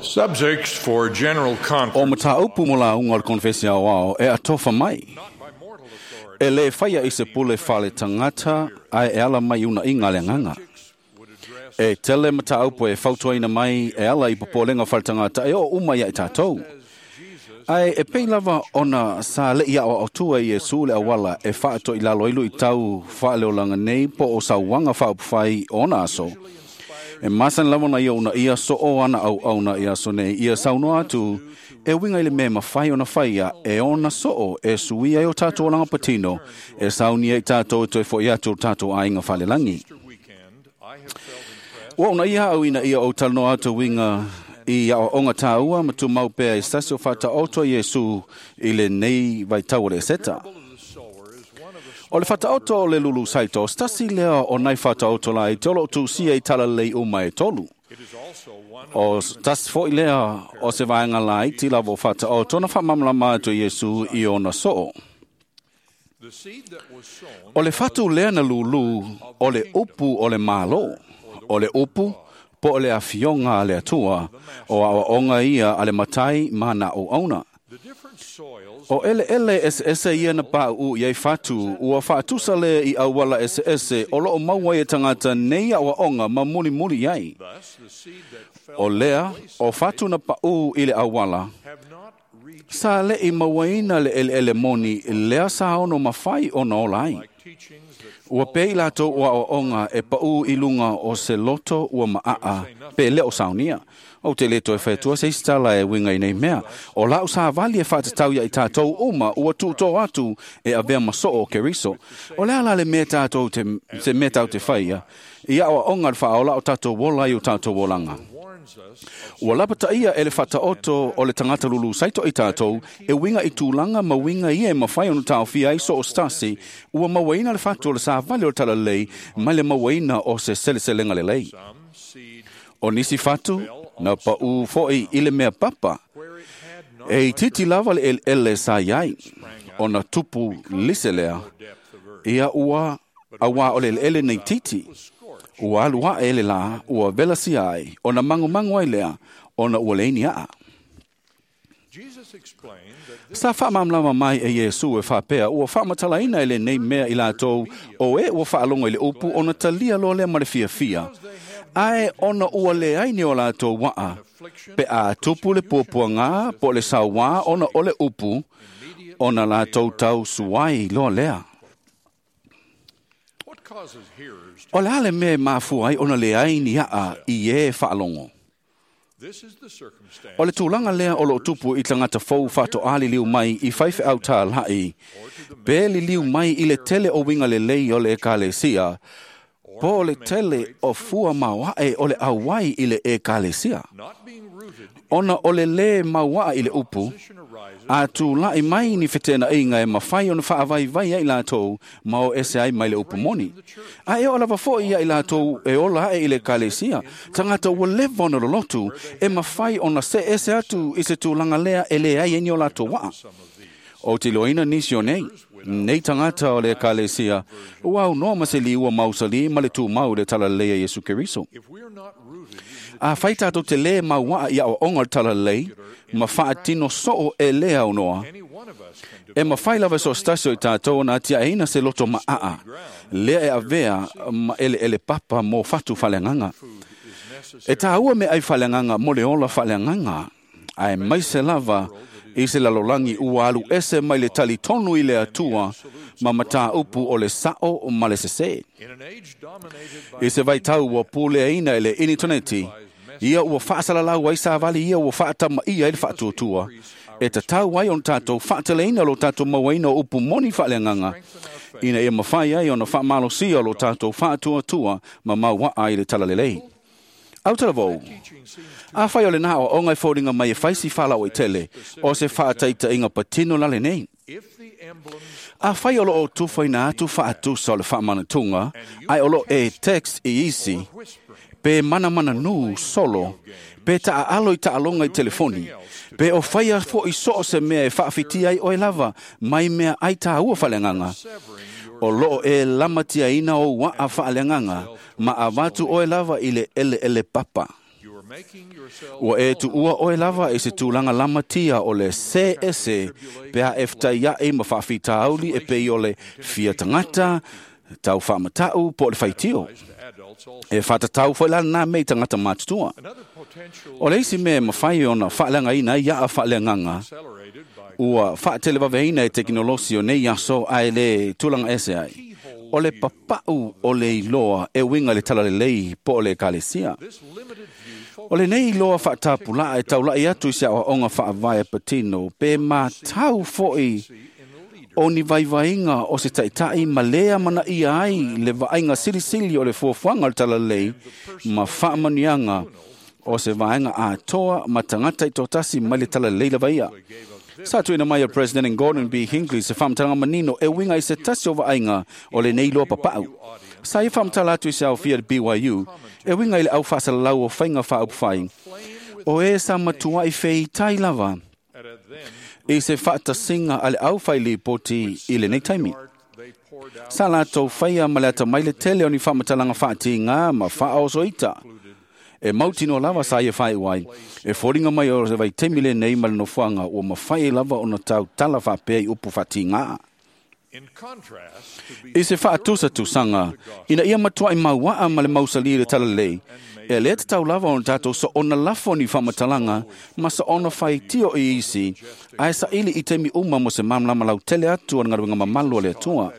Subjects for general O conference mataupu mo lauga o le konefesi aoao e atofa mai. not by mortal authority E le whaia i se pule whale tangata ai e ala mai una inga le nganga. would address E tele mataupu e fautuaina mai e ala i popolenga whale tangata e o uma ia i tātou. Ai e pei lava ona sa le ia o atua i Iesu le awala e whaato i lalo ilu i tau whaaleolanga nei po o sauanga whaupawhai ona aso. E masan lava na ia una ia so o ana au au na ia so nei ia saunoa atu e winga i le mea mawhai ona whaia e ona soo e suia e o tātou olanga patino e saunia i tātou e toe fo i atu o tātou ainga whalelangi. Easter weekend, I have felt impressed Ua una ia au ina ia o talanoa atu winga i a onga tāua ma tu mau pea i stasi o whata oto Iesu i le nei vai tau o le seta. of the sower is one of the O le whata oto o le lulu saito, stasi lea o nai whata oto lai te olo tu sia i tala lei uma e tolu. it is also one of O tasi foi lea o se vaenga lai ti lavo whata o tona whamamlama atu Iesu i ona soo. the seed that was sown O le whatu lea na lulu o le upu o le malo, o le upu po o le afionga a le atua, o awa onga ia a le matai mana o auna. the different soils O ele ele ese ese ia na pa u iai whatu, ua whaatusa le i awala ese ese, o loo maua i tangata nei awa onga ma muli muli iai. thus the seed that fell O lea, o whatu na pa u i le awala, have not reached sa le i mauaina le ele ele moni, lea sa ono mawhai o na ola ai. like teachings that Ua pei lātou ua o onga e pau i lunga o se loto ua maa pe leo saunia. O te leto e whaitua se istala e winga i nei mea. O lau sa vali e whaatatau ia i tātou uma ua tūtō atu e avea masoo o Keriso. O lea la le mea tātou te, se mea tātou te whaia. Ia o onga le whaola o tātou wola i o tātou wolanga. warns us of Ua lapata ia e le whataoto o le tangata lulu saito i tātou, e winga i tūlanga ma winga ia e mawhai ono tāwhia ai so o stasi, ua mawaina le whatu o le sāvali o le talalei, mai le mawaina o se seleselenga le lei. some seed O nisi whatu, na pa u foi i le mea papa, where it had not e i titi lava le ele ele sa iai, o na tupu lise lea, depth of earth ia ua awa o le ele nei titi, was scorched ua alu a ele la, ua vela si ai, o na mangu mangu ai lea, o na ua leini aa. Jesus explained that this Sa whaamamlama mai e Iesu e whapea, ua whaamatalaina e le nei mea i lātou, o e ua whaalonga i le upu, ona talia loa lea ma le fia fia. Ae ona ua le ai ni o lātou waa, affliction pe a tupu le puapua ngā, po le sauā, ona o le upu, ona lātou tau suai loa lea. what causes hearers to, O le ale mea mafua ai ona le ai ni aa i e whaalongo. this is the circumstance O le tūlanga lea o lo tupu i tangata fou whato ali liu mai i whaiwhe au tā lai. Pe li liu mai i le tele o winga le lei o le ekalesia. Po le tele o fua mauae o le awai i le ekalesia. not being rooted Ona o le le mauaa i le upu, position arises a tūlai mai ni whetena inga e mawhai ona whaawai vai ai lātou ma o ese ai mai le upu moni. A e o lava fo ia i lātou e ola e i le kalesia, tangata ua leva ona lolotu e mawhai ona se ese atu i se tūlanga lea e le ai e ni o lātou waa. some of these O te loina nisi o nei, nei tangata o le kalesia, ua au noa ma se liua mausali ma le tūmau le talalea Yesu Keriso. if we are not rooted in the A whai tātou te le mauaa ia o onga o le talalei, ma whaatino soo e lea au noa, any one of us can E mawhai lava so stasio i tātou na tia eina se loto maa. Lea e avea ma ele ele papa mō whatu whaleanganga. food is necessary E tāua me ai whaleanganga mo le ola whaleanganga. Ai mai se lava i se lalolangi ua alu ese mai le tali tonu i le atua ma matā upu o le sao ma le sese. in an age dominated by I se vai tau ua pule aina i le initoneti. Ia ua whaasalalau ai sāvali ia ua whaatama ia i le whaatuatua. E ta tau ai on tātou whaataleina lo tātou mauaina o upu moni whaaleanganga. Ina ia mawhai ai ona whaamalosia lo tātou whaatuatua ma maua ai le talalelei. Au talavou, teaching seems to a whai o le nā o ongai fōringa mai e whaisi whalau i tele, o se whaataita inga patino lale nei. if the emblems A whai o lo o tuwhaina atu whaatusa o le whaamanatunga, ai o lo e text i isi, whispering pe mana mana nū solo, pe ta alo i ta alonga i telefoni, pe o whaia fo i so o se mea e whaawhiti ai oe lava, mai mea ai tā ua whaleanganga. severing your O loo e lamatia ina o waa whaaleanganga, ma avatu oe lava i le ele ele papa. your Ua e tuua oe lava i se tulaga lamatia o le se ese pe a e fetaia'i ma faafitauli e pei o le fia tagata, tau faamata'u po o le faitio. E faatatau foi la lenā mea i tagata matutua. O le isi mea e mafai ona faaleagaina ai a'a faaleagaga ua faatelevaveina e tekonolosi o nei aso ae lē tulaga ese ai, o le papa'u o le iloa e uiga i le talalelei po o le ekalesia. O lenei iloa faatapula'a e taula'i atu i se aoaoga faavae patino pe matau fo'i o ni vaivaiga o se taʻitaʻi ma lē amanaia ai le vaaiga silisili o le fuafuaga o le talalelei ma faamanuiaga o se vaega atoa ma tagata itotasi mai le talalelei lava ia. Sa tuuina mai e President Gordon B. Hinckley se faamatalaga manino e uiga i se tasi o vaaiga o lenei iloa papa'u. Sa ia faamatala atu i se aofia le BYU e uiga i le aufaasalalau o faiga faaupufai o e sa matua'i feitai lava i se faatasiga a le aufailipoti i lenei taimi. Sa latou faia ma le atamai le tele o ni faamatalaga faatigā ma faaosoita e mautinoa lava sa ia faaiu ai e foliga mai o se vaitaimi lenei ma le nofoaga ua mafai ai lava ona tautala faapea i upu faatigā. I se faatusatusaga ina ia matuaʻi mauaʻa ma le mausalī i le talalelei, e lē tatau lava ona tatou soona lafo ni faamatalaga ma soona faitio i isi ae saʻili i taimi uma mo se malamalama lautele atu o le galuega mamalu a le Atua.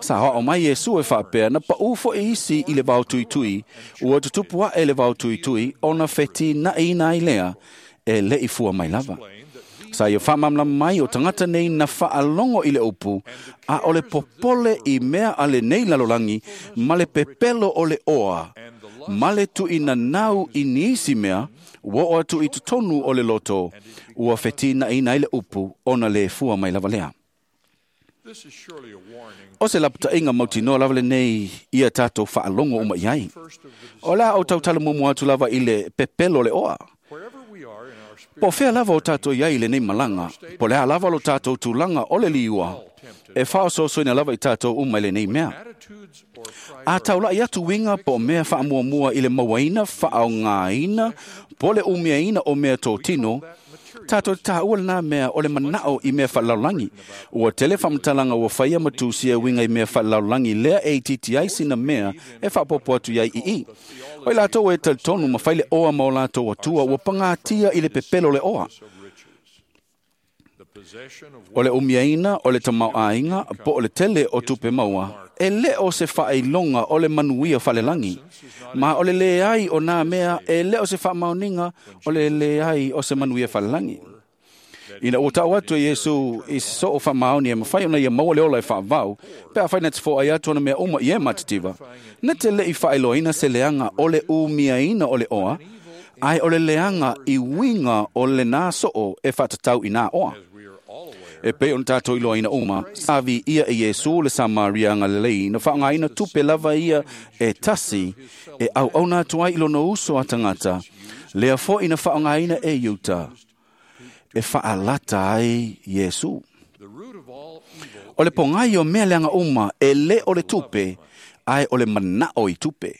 Sa aoao mai Iesu e faapea na paʻū foʻi isi i le vaotuitui, ua tutupu aʻe le vaotuitui ona fetinaʻiina ai lea e leʻi fua mai lava. Sa ia faamalamalama mai o tagata nei na faalogo i le upu, a o le popole i mea a lenei lalolagi ma le pepelo o le oa, ma le tuuinanau i nisi mea, ua oo atu i totonu o le loto, ua fetinaʻiina ai le upu ona lē fua mai lava lea. O se lapataʻiga mautinoa lava lenei ia tatou faalogo uma i ai. O le a ou tautala muamua atu lava i le pepelo o le oa. Po o fea lava o tatou i ai i lenei malaga, po o le a lava lo tatou tulaga o le liua, e faaosoosoina lava i tatou uma i lenei mea. A taulaʻi atu uiga po o mea faamuamua i le mauaina, faaaogāina, po o le umiaina o mea totino, tatou te tāua lenā mea o le manaʻo i mea faalelalolagi. Ua tele faamatalaga ua faia ma tusia e uiga i mea faalelalolagi lea e itiiti ai sina mea e faaopoopo atu i ai iī. O i latou e talitonu ma fai le oa ma o latou atua ua pagātia i le pepelo o le oa. O le umiaina o le tamaoaiga po o le tele o tupe maua, e lē o se faailoga o le manuia faalelagi. Ma o le leai o nā mea e lē o se faamaoniga o le leai o se manuia faalelagi. Ina ua taʻu atu e Iesu i se soo faamaoni e mafai ona ia maua le ola e faavau, pe afai na te foai atu ona mea uma i e matitiva, na te leʻi faailoaina se leaga o le umiaina o le oa, ae o le leaga i uiga o lenā soo e faatatau i nā oa. E pei ona tatou iloaina uma, sa viia e Iesu le Samaria agalelei na faaaogāina tupe lava ia e tasi e auauna atu ai i lona uso a tagata, lea foʻi na faaaogāina e Iuta e faalata ai Iesu. O le pogai o mea leaga uma e lē o le tupe, ae o le manaʻo i tupe.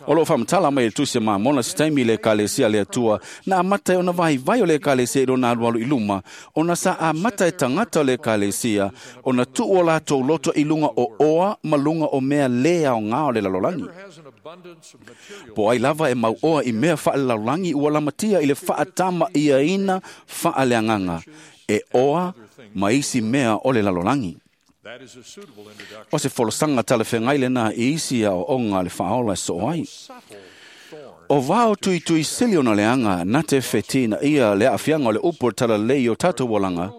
O loo faamatala mai e le Tusi a Mamona se taimi i le ekalesia a le Atua na amata ai ona vaivai o le ekalesia i lona alualu i luma, ona sa amata e tagata o le ekalesia ona tuu o latou loto i luga o oa ma luga o mea lē aogā o le lalolagi. Po ai lava e mauoa i mea faalelalolagi ua lamatia i le faatamaʻiaina faaleagaga e oa ma isi mea o le lalolagi. O se folasaga talafeagai lenā i isi aoaoga a le faaola e soo ai. O vao tuitui sili ona leaga na te fetinaʻia le aafiaga o le upu o le talalelei i o tatou olaga,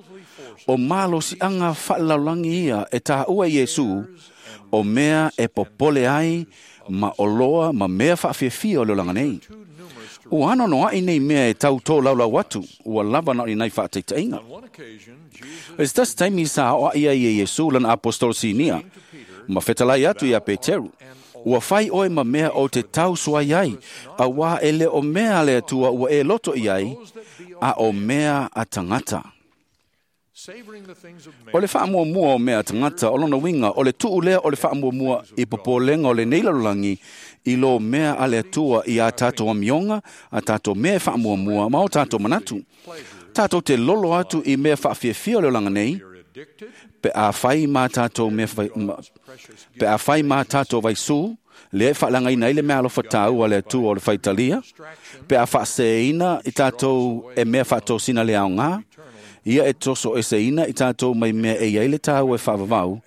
o malosiaga faalelalolagi ia e taua e Iesu, o mea e popole ai ma oloa ma mea faafiafia o le olaga nei. Ua anoanoaʻi nei mea e tau tōlaulau atu, ua lava na o ni nai faataitaʻiga. I se tasi taimi sa aoaʻi ai e Iesu lana apostolo sinia, ma fetalai atu iā Peteru, ua fai oe ma mea o te tausuai ai, auā e lē o mea a le Atua ua e loto i ai, a o mea a tagata. O le faamuamua o mea tagata o lona uiga o le tuu lea o le faamuamua i popolega o lenei lalolagi i lo mea a le Atua i a tatou amioga, a tatou mea e faamuamua ma o tatou manatu. Tatou te lolo atu i mea faafiafia o le olaga nei, pe a fai ma tatou mea pe a fai ma tatou vaisū, lea e faaleagaina ai le meaalofa taua a le Atua o le faitalia, pe a faaseseina i tatou e mea faatosina le aoga, ia e tosoeseina i tatou mai mea e i ai le taua e faavavau,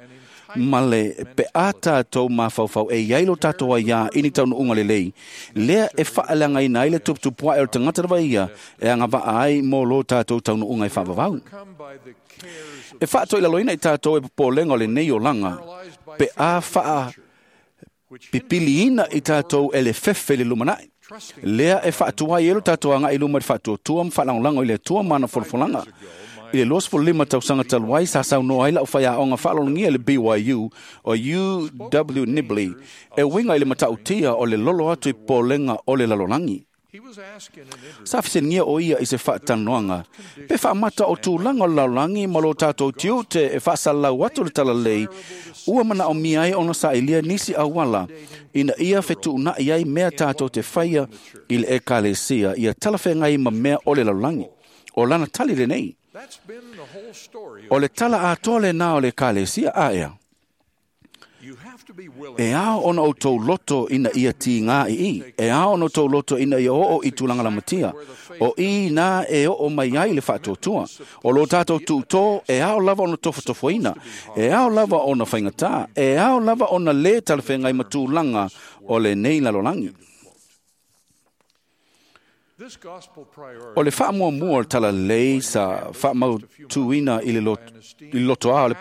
ma le pe a tatou mafaufau e i ai lo tatou aiā i ni taunuuga lelei, lea e faaleagaina ai le tuputupuae o le tagata lava ia e agavaa ai mo lo tatou taunuuga e faavavau. E faatoilaloina i tatou e popolega o lenei olaga, pe a faapipiliina i tatou e le fefe i le lumanai. Lea e faatuai ai lo tatou agai i luma i le faatuatua ma faalagolago i le Atua ma ana folafolaga. I le 25 tausaga talu ai sa saunoa ai lau faiaoga faalologia i le BYU o UW Nibley e uiga i le matautia o le lolo atu i popolega o le lalolagi. Sa fesiligia o ia i se faatalanoaga pe faamata o tulaga o le lalolagi ma lo tatou tiute e faasalalau atu le talalelei ua manaomia ai ona sailia nisi auala ina ia fetuunai ai mea tatou te faia i le ekalesia ia talafeagai ma mea o le lalolagi. O lana tali lenei. O le tala atoa lenā o le ekalesia aea. E ao ona outou loto ina ia tigā i i. E ao ona outou loto ina ia oo i tulaga lamatia. O i nā e oo mai ai le faatuatua. O lo tatou tuutō e ao lava ona tofotofoina. E ao lava ona faigata. E ao lava ona lē talafeagai ma tulaga o lenei lalolagi. O le faamuamua o le talalelei sa faamautuina i le lotoa o le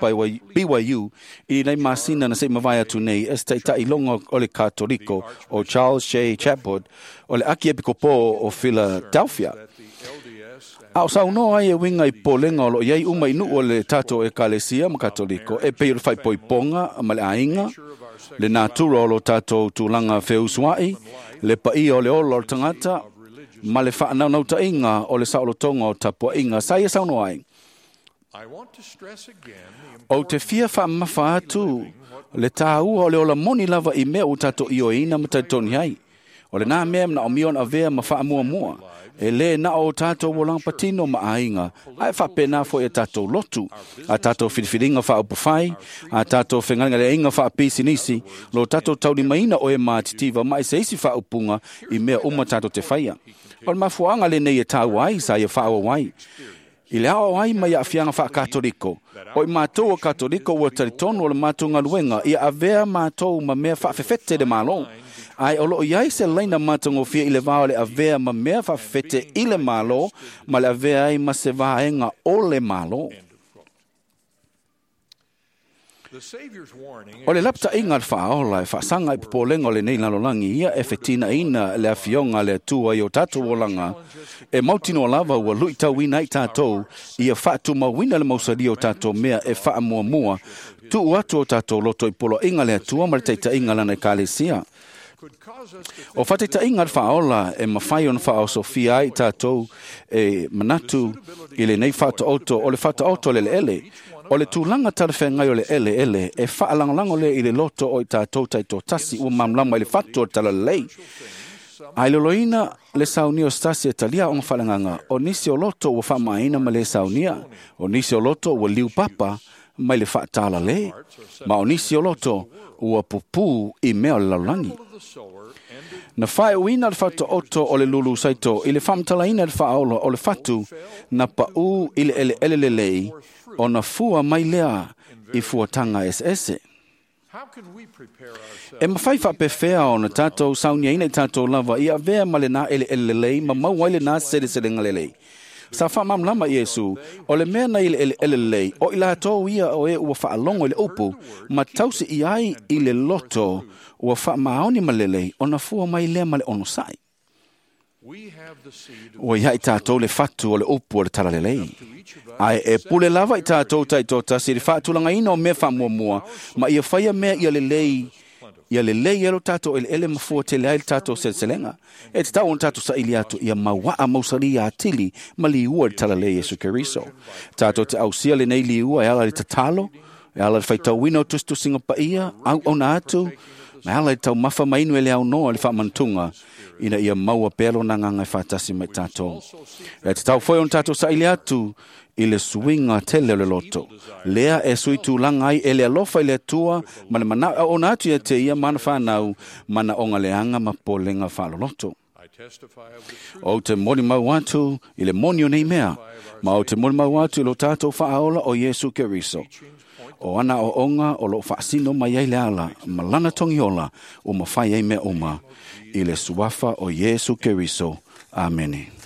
BYU i lenei masina na se i mavae atu nei e se taitailoga o le Katoliko o Charles J. Chapwood o le Akiepikopo o Philadelphia. A o saunoa ai e uiga i popolega o loo i ai uma i nuu o le tatou ekalesia ma Katoliko e pei o le faaipoipoga ma le aiga, le natura o lo tatou tulaga feusuai, le paia o le ola o le tagata, ma le faanaunautai o le saolotoga o tapuaiga sa ia saunoa ai. Ou te fia faamamafa atu le tāua o le ola moni lava i mea ua tatou ioeina ma talitonu ai. O lenā mea e manaomia ona avea ma faamuamua, e lē na o tatou olaga patino ma aiga, ae faapena foi a tatou lotu, a tatou filifiliga faaupufai, a tatou fegalegaleaiga faapisinisi, lo tatou taulimaina o e matitiva ma i se isi faaupuga i mea uma tatou te faia. O le mafuaaga lenei e taua ai sa ia faaauau ai. I le aoao ai mai aafiaga faakatoliko, o i matou o Katoliko ua talitonu o le matou galuega ia avea matou ma mea faafefete le Malo. Ae o loo i ai se laina matagofie i le va o le avea ma mea faafefete i le Malo ma le avea ai ma se vaega o le Malo. O le lapataiga a le faaola e faasaga i popolega o lenei lalolagi ia e fetinaina le afioga a le Atua i o tatou olaga, e mautinoa lava ua luitauina ai tatou ia faatumauina le mausalia o tatou mea e faamuamua, tuu atu o tatou loto i poloaiga a le Atua ma le taitaiga a lana ekalesia. O faataitaiga a le faaola e mafai ona faaosofia ai tatou e manatu i lenei faataoto o le faataoto o le eleele. O le tulaga talafeagai o le eleele e faalagolago lea i le loto o i tatou taitoatasi ua malamalama i le fatu o le talalelei. Ae loloina le saunia o se tasi e talia aoga faaleagaga, o nisi o loto ua faamaina ma le saunia, o nisi o loto ua liupapa mai le faatalalē, ma o nisi o loto ua pupū i mea o le lalolagi. Na faaiuina le faataoto o le lulu saito i le faamatalaina e le faaola o le fatu na paū i le eleele lelei ona fua mai lea i fuataga eseese. E mafai faapefea ona tatou sauniaina i tatou lava ia avea ma lenā eleele lelei ma maua ai lenā seleselega lelei. Sa faamalamalama Iesu, o le mea na i le eleele lelei, o i latou ia o e ua faalogo i le upu, ma tausi i ai i le loto ua faamaoni ma lelei, ona fua mai lea ma le onosai. Ua ia i tatou le fatu o le upu o le talalelei. Ae e pule lava i tatou taitoatasi i le faatulagaina o mea faamuamua, ma ia faia mea ia lelei Ia lelei ai lo tatou eleele ma fua tele ai le tatou seleselega. E tatau ona tatou saili atu ia mauaa mausalī atili ma liua i le talalelei Iesu Keriso. Tatou te ausia lenei liua e ala i le tatalo, e ala i le faitauina o tusitusiga paia, auauna atu, ma e ala i le taumafa ma inu e le aunoa i le faamanatuga, ina ia maua pea lona agaga e faatasi ma i tatou. E tatau foi ona tatou saili atu i le suiga tele o le loto. Lea e sui tulaga ai e le alofa i le Atua ma le manao e auauna atu ia te ia ma ana fanau, manaoga leaga ma popolega faaloloto. I testify of the truth Ou te molimau atu i le moni o nei mea, ma ou te molimau atu i lo tatou faaola o Iesu Keriso. O ana aoaoga o loo faasino mai ai le ala ma lana togiola ua mafai ai mea uma i le suafa o Iesu Keriso. Amene.